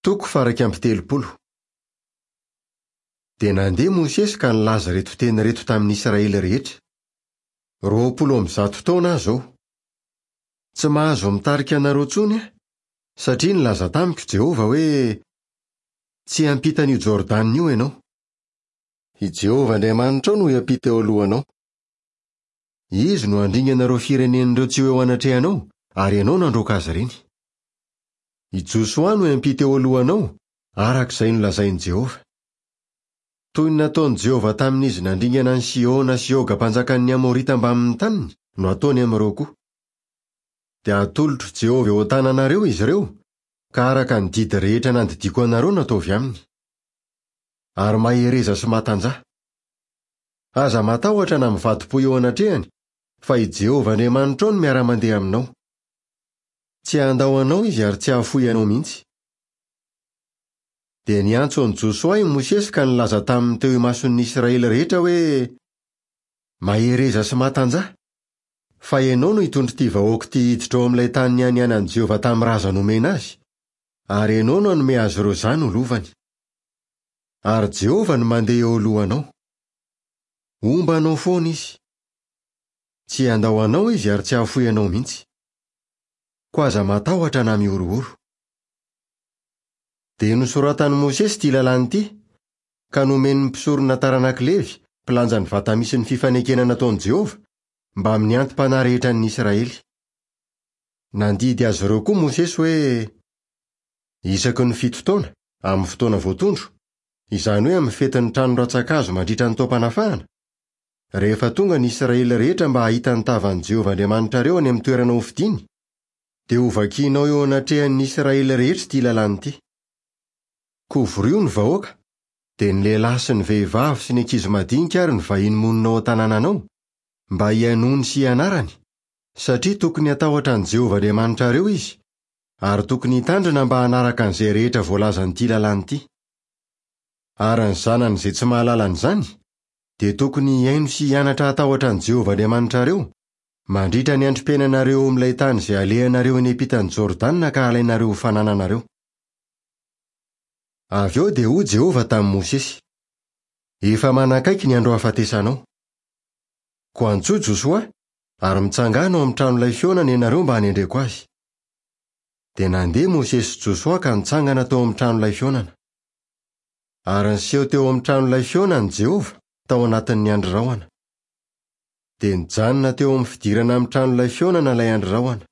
Toko faha-31. Dia nandeha Mosesy ka nilaza ireto teny ireto tamin'ny Israely rehetra, 120 taona aho izao. Tsy mahazo mitarika anareo intsony aho, satria nilaza tamiko Jehovah hoe, 'Tsy hiampita an'io Jordana io ianao. I Jehovah Andriamanitrao no hiampita eo alohanao. Izy no handringana ireo firenena ireo tsy ho eo anatrehanao, ary ianao no handroaka azy ireny. I Josoa no hiampita eo alohanao, araka izay nolazain'i Jehovah. Toy ny nataon'i Jehovah tamin'izy nandringana an'i Sihona sy Oga mpanjakan'ny Amorita mbamin'ny taniny no hataony amin'ireo koa. Dia hatolotr'i Jehovah eo an-tananareo izy ireo, ka araka ny didy rehetra nandidiako anareo no ataovy aminy. Ary mahereza sy matanjaha. Aza matahotra na mivadi-po eo anatrehany, fa i Jehovah Andriamanitrao no miara-mandeha aminao. Tsy handao anao izy ary tsy hahafoy anao mihitsy. Dia niantso an'i Josoa i Mosesy ka nilaza taminy teo imason'ny Israely rehetra hoe, Mahereza sy matanjaha, fa ianao no hitondra ity vahoaka ity hiditra ao amin'ilay tany nianianan'i Jehovah tamin'ny razany homena azy, ary ianao no hanome azy ireo izany ho lovany. Ary Jehovah no mandeha eo alohanao. Homba anao foana izy. Tsy handao anao izy ary tsy hahafoy anao mihitsy. Koa aza matahotra na mihorohoro. Dia nosoratan'i Mosesy ity lalàna ity, ka nomen'ny mpisorona taranak'i Levy, mpilanja ny vata misy ny fifanekena nataon'i Jehovah, mbamin'ny anti-panahy rehetran'ny Israely. Nandidy azy ireo koa Mosesy hoe, Isaky ny fito taona, amin'ny fotoana voatondro, izany hoe amin'ny fetin'ny trano rantsankazo mandritra ny taom-panafahana, rehefa tonga ny Israely rehetra mba hahita ny tavan'i Jehovah Andriamanitrareo any amin'ny toerana hofidiny, dia hovakinao eo anatrehan'ny Israely rehetra ity lalàna ity. Koa vorio ny vahoaka, dia ny lehilahy sy ny vehivavy sy ny ankizy madinika ary ny vahiny monina ao an-tanànanao, mba hihainoany sy hianarany, satria tokony hatahotra an'i Jehovah Andriamanitrareo izy, ary tokony hitandrina mba hanaraka an'izay rehetra voalazan'ity lalàna ity. Ary ny zanany izay tsy mahalala an'izany, dia tokony hihaino sy hianatra hatahotra an'i Jehovah Andriamanitrareo, mandritra ny androm-piainanareo eo amin'ilay tany izay alehanareo eny ampitan'i Jordana ka halainareo ho fanananareo. Avy eo dia hoy Jehovah tamin'i Mosesy, Efa manakaiky ny andro hahafatesanao. Koa antsoy Josoa, ary mitsangàna ao amin'ny tranolay fihaonana ianareo mba hanendreko azy. Dia nandeha Mosesy sy Josoa ka nitsangana teo amin'ny tranolay fihaonana. Ary niseho teo amin'ny tranolay fihaonana Jehovah tao anatin'ny andry rahona. Dia nijanona teo amin'ny fidirana amin'ny tranolay fihaonana ilay andry rahona.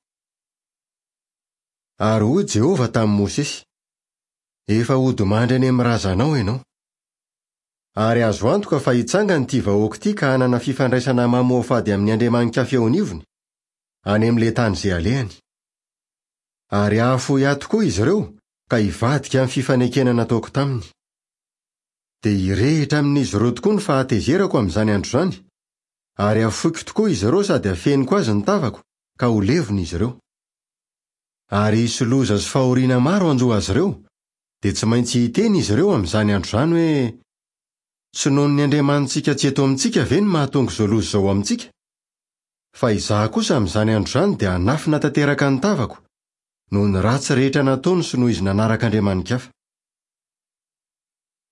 Ary hoy Jehovah tamin'i Mosesy, Efa hodimandry any amin'ny razanao ianao. Ary azo antoka fa hitsangana ity vahoaka ity ka hanana fifandraisana mamoafady amin'ny andriamani-kafa eo anivony, any amin'ilay tany izay alehany. Ary hahafoy ahy tokoa izy ireo ka hivadika amin'ny fifanekena nataoko taminy. Dia hirehitra amin'izy ireo tokoa ny fahatezerako amin'izany andro izany, ary hafoiko tokoa izy ireo sady hafeniko azy ny tavako ka ho levona izy ireo. Ary hisy loza sy fahoriana maro hanjo azy ireo, dia tsy maintsy hiteny izy ireo amin'izany andro izany hoe, Tsy noho ny Andriamanitsika tsy eto amintsika ve no mahatonga izao loza izao amintsika? Fa izaho kosa amin'izany andro izany dia hanafina tanteraka ny tavako, noho ny ratsy rehetra nataony sy noho izy nanaraka andriamani-kafa.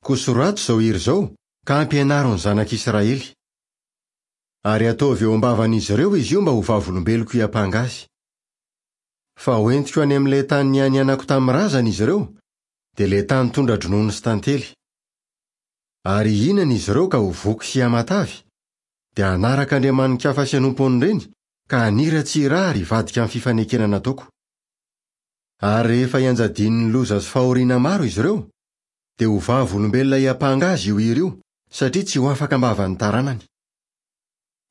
Koa soraty izao hira izao, ka ampianaro ny zanak'Israely. Ary ataovy eo am-bavan'izy ireo izy io mba ho vavolombeloko hiampanga azy. Fa hoentiko any amin'ilay tany nianianako tamin'ny razany izy ireo, dia ilay tany tondra-dronono sy tantely. Ary hihinana izy ireo ka ho voky sy hihamatavy, dia hanaraka andriamani-kafa sy hanompo an'ireny, ka haniratsira ahy ary hivadika amin'ny fifanekena nataoko. Ary rehefa hianjadian'ny loza sy fahoriana maro izy ireo, dia ho vavolombelona hiampanga azy io hira io, satria tsy ho afaka am-bavan'ny taranany.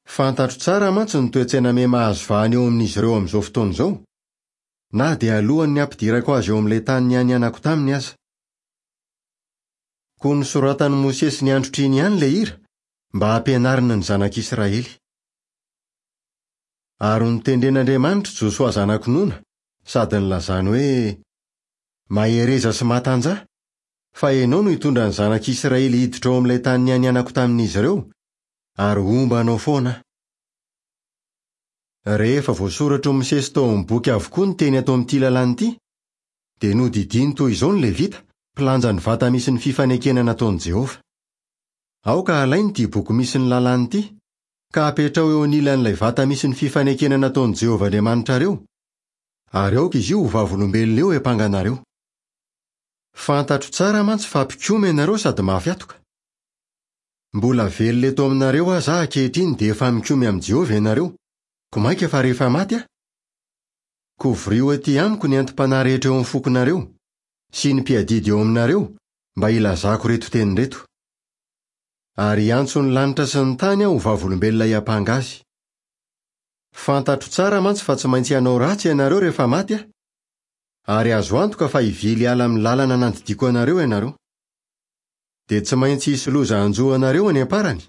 Fantatro tsara mantsy ny toe-tsaina miha-mahazo vahana eo amin'izy ireo amin'izao fotoana izao, na dia alohan'ny hampidirako azy eo amin'ilay tany nianianako taminy aza. Koa nosoratan'i Mosesy ny androtr'iny ihany ilay hira, mba hampianarina ny zanak'Israely. Ary notendren'Andriamanitra i Josoa zanak'i Nona, sady nilazany hoe, Mahereza sy matanjaha, fa ianao no hitondra ny zanak'Israely hiditra ao amin'ilay tany nianianako tamin'izy ireo, ary homba anao foana aho. Rehefa voasoratr'i Mosesy tao amin'ny boky avokoa ny teny ato amin'ity lalàna ity, Dia nodidiany toy izao ny Levita, mpilanja ny vata misy ny fifanekena nataon'i Jehovah, Aoka halaina ity boky misy ny Lalàna ity, ka apetraho eo anilan'ilay vata misy ny fifanekena nataon'i Jehovah Andriamanitrareo, ary aoka izy io ho vavolombelona eo hiampanganareo. Fantatro tsara mantsy fa mpikomy ianareo sady mafy hatoka. Mbola velona eto aminareo aza aho ankehitriny dia efa mikomy amin'i Jehovah ianareo, koa mainka fa rehefa maty aho? Koa vorio atỳ amiko ny anti-panahy rehetra eo amin'ny fokonareo, sy ny mpiadidy eo aminareo, mba hilazako ireto teny ireto. Ary hiantso ny lanitra sy ny tany aho ho vavolombelona hiampanga azy. Fantatro tsara mantsy fa tsy maintsy hanao ratsy ianareo rehefa maty aho, ary azo antoka fa hivily hiala amin'ny lalana nandidiako anareo ianareo. Dia tsy maintsy hisy loza hanjo anareo any am-parany,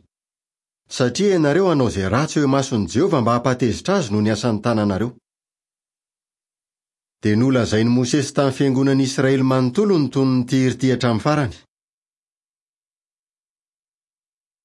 satria ianareo hanao izay ratsy eo imason'i Jehovah mba hampatezitra azy noho ny asan'ny tananareo. Dia nolazain'i Mosesy tamin'ny fiangonan'Israely manontolo ny tonon'ity hira ity hatramin'ny farany.